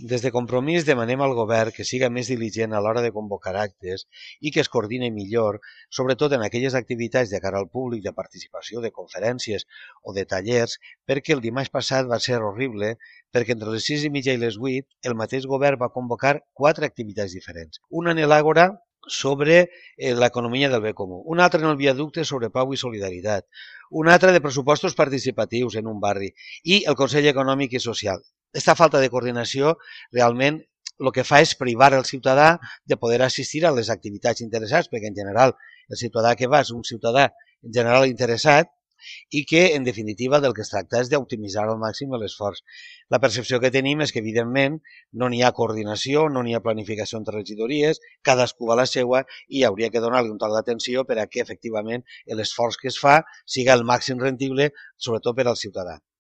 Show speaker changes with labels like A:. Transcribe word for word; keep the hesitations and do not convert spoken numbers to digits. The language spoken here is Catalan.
A: Des de Compromís demanem al govern que siga més diligent a l'hora de convocar actes i que es coordine millor, sobretot en aquelles activitats de cara al públic de participació de conferències o de tallers, perquè el dimarts passat va ser horrible, perquè entre les sis i mitja i les vuit el mateix govern va convocar quatre activitats diferents. Una en l'Àgora sobre eh, l'economia del bé comú, una altra en el viaducte sobre pau i solidaritat, una altra de pressupostos participatius en un barri i el Consell Econòmic i Social. Aquesta falta de coordinació realment el que fa és privar el ciutadà de poder assistir a les activitats interessants, perquè en general el ciutadà que va és un ciutadà en general interessat i que, en definitiva, del que es tracta és d'optimitzar al màxim l'esforç. La percepció que tenim és que, evidentment, no n'hi ha coordinació, no n'hi ha planificació entre regidories, cadascú a la seua i hauria que donar-li un toc d'atenció per a que, efectivament, l'esforç que es fa siga el màxim rendible, sobretot per al ciutadà.